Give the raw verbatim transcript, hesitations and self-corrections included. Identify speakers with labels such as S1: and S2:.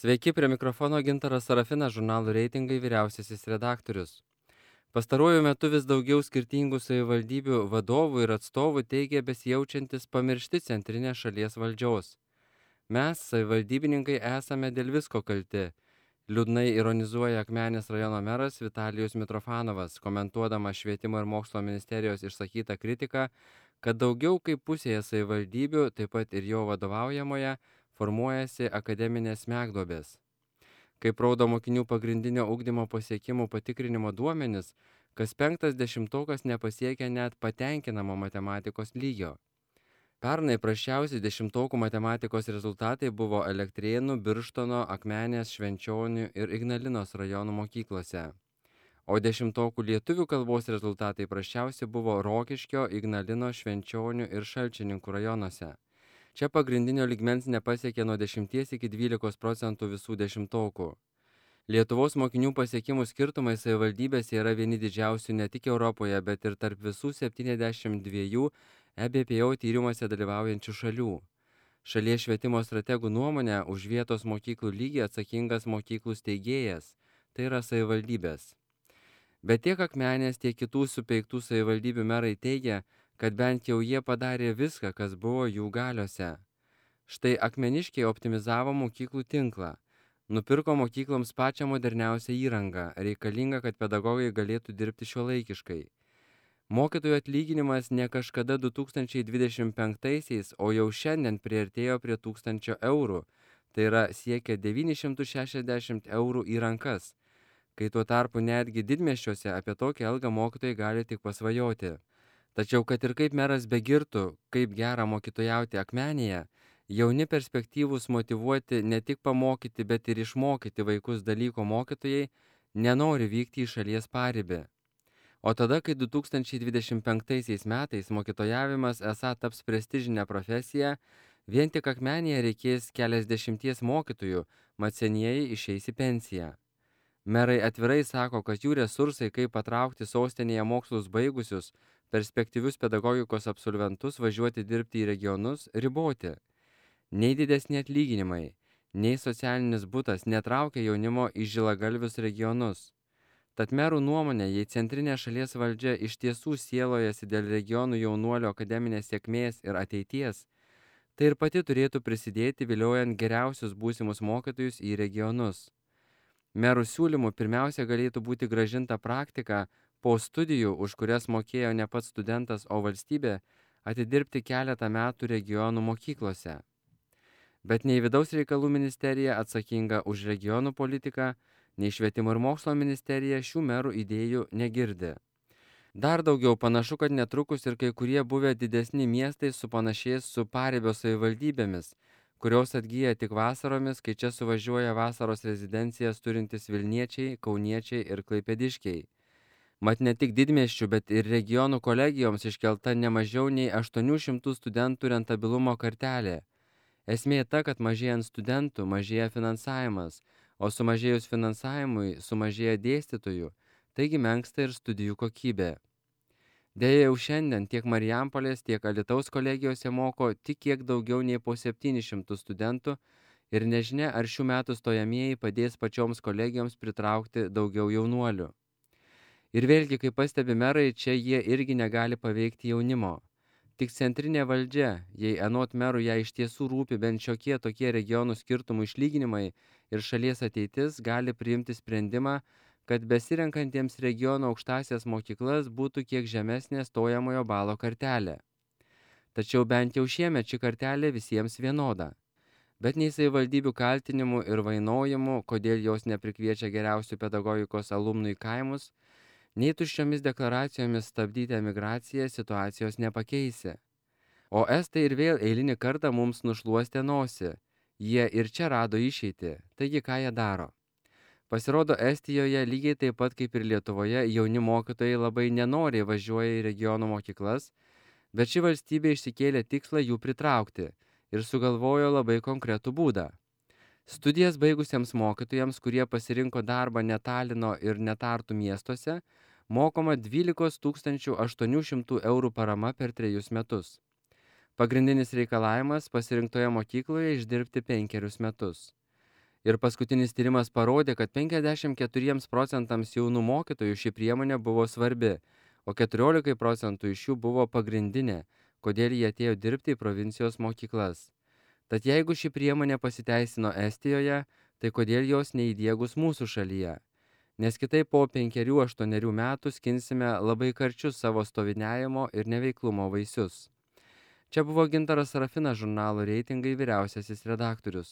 S1: Sveiki, prie mikrofono Gintaras Sarafinas, žurnalo reitingai vyriausiasis redaktorius. Pastaruoju metu vis daugiau skirtingų savivaldybių vadovų ir atstovų teigia besijaučiantis pamiršti centrinės šalies valdžios. Mes, savivaldybininkai, esame dėl visko kalti. Liūdnai ironizuoja Akmenės rajono meras Vitalijus Mitrofanovas, komentuodamas Švietimo ir mokslo ministerijos išsakytą kritiką, kad daugiau kaip pusėje savivaldybių, taip pat ir jo vadovaujamoje, formuojasi akademinės smegduobės. Kaip rodo mokinių pagrindinio ugdymo pasiekimų patikrinimo duomenis, kas penktas dešimtokas nepasiekia net patenkinamo matematikos lygio. Pernai prasčiausi dešimtokų matematikos rezultatai buvo Elektrėnų, Birštono, Akmenės, Švenčionių ir Ignalinos rajonų mokyklose. O dešimtokų lietuvių kalbos rezultatai prasčiausi buvo Rokiškio, Ignalinos, Švenčionių ir Šalčininkų rajonuose. Čia pagrindinio lygmens nepasiekė nuo dešimties iki dvylikos procentų visų dešimtokų. Lietuvos mokinių pasiekimų skirtumai savivaldybėse yra vieni didžiausių ne tik Europoje, bet ir tarp visų septyniasdešimt dviejų E B P O tyrimuose dalyvaujančių šalių. Šalies švietimo strategų nuomonė už vietos mokyklų lygį atsakingas mokyklų steigėjas, tai yra savivaldybės. Bet tiek Akmenės, tiek kitų supeiktų savivaldybių merai teigia, kad bent jau jie padarė viską, kas buvo jų galiose. Štai akmeniškiai optimizavo mokyklų tinklą. Nupirko mokykloms pačią moderniausią įrangą, reikalingą, kad pedagogai galėtų dirbti šiuolaikiškai. Mokytojų atlyginimas ne kažkada du tūkstančiai dvidešimt penktaisiais, o jau šiandien priartėjo prie tūkstančio eurų, tai yra siekia devynis šimtus šešiasdešimt eurų į rankas, kai tuo tarpu netgi didmiesčiuose apie tokią algą mokytojai gali tik pasvajoti. Tačiau kad ir kaip meras begirtų, kaip gera mokytojauti Akmenėje, jauni perspektyvūs motyvuoti ne tik pamokyti, bet ir išmokyti vaikus dalyko mokytojai nenori vykti į šalies paribį. O tada, kai du tūkstančiai dvidešimt penktaisiais metais mokytojavimas esą taps prestižinė profesija, vien tik Akmenėje reikės keliasdešimties mokytojų, mat senieji išeis į pensiją. Merai atvirai sako, kad jų resursai, kaip patraukti sostinėje mokslus baigusius, perspektyvius pedagogikos absolventus važiuoti dirbti į regionus, riboti. Nei didesni atlyginimai, nei socialinis butas netraukia jaunimo į žilagalvius regionus. Tad merų nuomonė, jei centrinė šalies valdžia iš tiesų sielojasi dėl regionų jaunuolio akademinės sėkmės ir ateities, tai ir pati turėtų prisidėti viliojant geriausius būsimus mokytojus į regionus. Merų siūlymų pirmiausia galėtų būti grąžinta praktika po studijų, už kurias mokėjo ne pats studentas, o valstybė, atidirbti keletą metų regionų mokyklose. Bet nei Vidaus reikalų ministerija atsakinga už regionų politiką, nei Švietimo ir mokslo ministerija šių merų idėjų negirdi. Dar daugiau panašu, kad netrukus ir kai kurie buvę didesni miestai supanašės su paribio savivaldybėmis, kurios atgyja tik vasaromis, kai čia suvažiuoja vasaros rezidencijas turintis Vilniečiai, Kauniečiai ir Klaipėdiškiai. Mat ne tik didmiesčių, bet ir regionų kolegijoms iškelta ne mažiau nei aštuonių šimtų studentų rentabilumo kartelė. Esmė ta, kad mažėjant studentų mažėja finansavimas, o sumažėjus finansavimui sumažėja dėstytojų, taigi menksta ir studijų kokybė. Deja, jau šiandien tiek Marijampolės, tiek Alytaus kolegijose moko tik kiek daugiau nei po septynis šimtus studentų ir nežinia, ar šių metų stojamieji padės pačioms kolegijoms pritraukti daugiau jaunuolių. Ir vėlgi, kaip pastebi merai, čia jie irgi negali paveikti jaunimo. Tik centrinė valdžia, jei anot merų ją iš tiesų rūpi bent šiokie tokie regionų skirtumų išlyginimai ir šalies ateitis, gali priimti sprendimą, kad besirenkantiems regiono aukštąsias mokyklas būtų kiek žemesnė stojamojo balo kartelė. Tačiau bent jau šiemet ši kartelė visiems vienoda. Bet nei savivaldybių kaltinimų ir vainojimų, kodėl jos neprikviečia geriausių pedagogikos alumnų į kaimus, nei tuščiomis deklaracijomis stabdyti emigraciją situacijos nepakeisi. O estai ir vėl eilinį kartą mums nušluostė nosį. Jie ir čia rado išeitį, taigi ką jie daro? Pasirodo, Estijoje lygiai taip pat kaip ir Lietuvoje jauni mokytojai labai nenoriai važiuoja į regionų mokyklas, bet ši valstybė išsikėlė tikslą jų pritraukti ir sugalvojo labai konkretų būdą. Studijas baigusiems mokytojams, kurie pasirinko darbą ne Talino ir ne Tartu miestuose, mokoma dvylikos tūkstančių aštuonių šimtų eurų parama per trejus metus. Pagrindinis reikalavimas pasirinktoje mokykloje išdirbti penkerius metus. Ir paskutinis tyrimas parodė, kad penkiasdešimt keturiems procentams jaunų mokytojų ši priemonė buvo svarbi, o keturiolikai procentų iš jų buvo pagrindinė, kodėl jie atėjo dirbti į provincijos mokyklas. Tad jeigu ši priemonė pasiteisino Estijoje, tai kodėl jos neįdiegus mūsų šalyje? Nes kitaip po penkerių aštuonerių metų skinsime labai karčius savo stoviniavimo ir neveiklumo vaisius. Čia buvo Gintaras Sarafinas, žurnalo Reitingai vyriausiasis redaktorius.